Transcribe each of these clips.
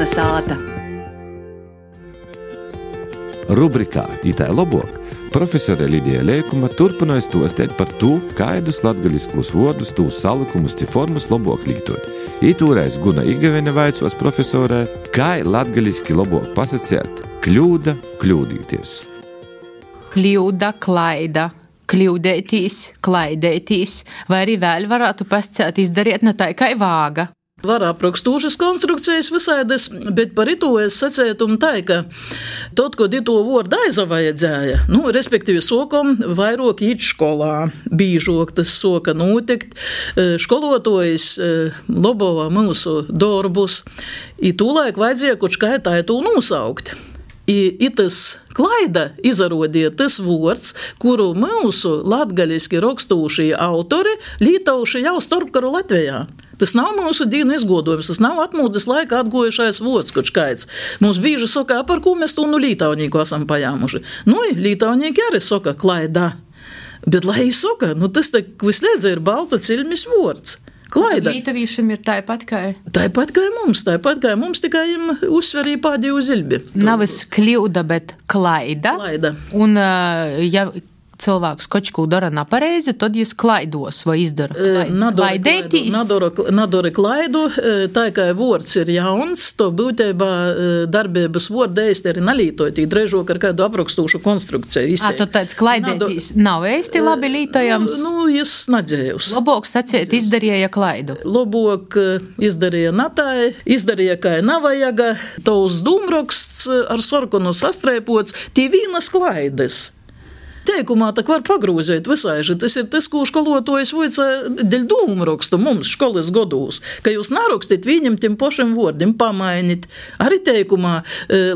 Kalnasāta. Rubrikā Itai lobok profesore Lidija Leikuma turpināja stostēt par to, kaidus latgaliskos vārdus, tūs salikumus, ci formas lobok lītot. Itūreiz Guna Igavene vaicos profesorē, kai latgaliski lobok pasacēt kļūda, kļūdīties. Kļūda, klaida, kļūdētīs, klaidētīs, vai arī vēl varētu pasacēt izdariet ne tā kā vāga. Var aprakstūšas konstrukcijas visādas, bet par ito es sacētu tā, ka tot, kod ito vārdu aizavajadzēja, respektīvi sokom vairāk īt školā, bīžok tas soka notikt, školotojs lobova mūsu darbus, i tūlaik vajadzēja kaut kā tā to nosaukt. I tas klaida izarodīja tas vārds, kuru mūsu latgaliski rakstūšie autori lītauši jau starpkaru Latvijā. Tas nav mūsu dīnu izgodojums, tas nav atmūdes laika atgojušais vārds kaut kāds. Mums bieži saka, par ko mēs to lītaunīku esam pajāmuši. Lītaunīki arī saka klaida. Bet lai saka, tas tā visliedz ir baltu ciļmis vārds. Klaida. Lītavīšiem ir tāpat kā mums, tikai jim uzsverīja pādīju zilbi. Navis kļūda, bet klaida. Un, ja cilvēks kočku dara nepareizi, tad jis klaidos vai izdara klaidētīs. Nadara klaidu, tā kā vārds ir jauns, to būtībā darbības vārda eisti arī nalītojot, drežok ar kādu aprakstūšu konstrukciju. Tad tāds klaidētīs nav eisti labi lītojams? Jis nadzējus. Lobok sacēt izdarīja klaidu. Lobok izdarīja natai, izdarīja kā navajaga, tos dūmroksts ar sorkonu sastrēpots, tī vīnas klaides. Teikumā tak var pagrūzēt visaiži. Tas ir tas, ko školotojs voica deļ dūmrakstu mums školas godūs, ka jūs narakstīt viņam tiem pošiem vārdiem pamainīt. Arī teikumā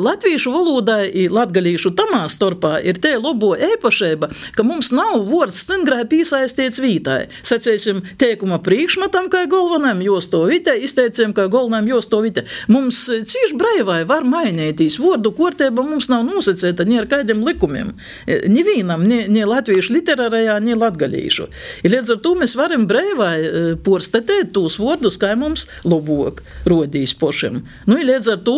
latviešu valodā i latgalīšu tamā starpā ir te lobo eipašeiba, ka mums nav vārds stingrai pīsaistīts vītai. Sacēsim teikuma priekšmatam kā galvenam josto vite, izteiciem kā galvenam josto vite. Mums cīši breivai var mainītīs. Vārdu korteiba mums nav nosacēta ni ar kādiem likumiem. Nivīnam ne latviešu literārajā, ne latgalīšu. I līdz ar to mēs varam breivai porstatēt tūs vārdus, kā mums lobok rodīs pošiem. I līdz ar to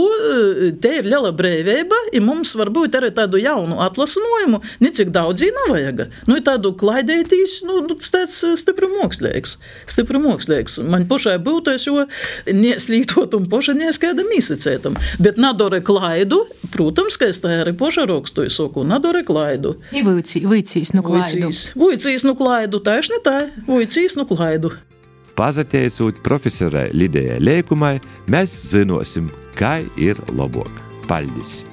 te ir liela breivība, i mums varbūt arī tādu jaunu atlasinojumu, necik daudz nav vajaga. Tādu klaidētīs, tas tāds stipri mokslīgs. Man pošai būtais, jo neslītot un poša neskaidam īsacētam. Bet nadore klaidu, protams, ka es tā arī poša rakstu, soku, nadore klaidu. Vuicīs nu klaidu. Vuicīs nu klaidu, taišni tā, vuicīs nu klaidu. Pazateicot profesorai Lidijai Leikumai, mēs zinosim, kai ir lobok. Paldies!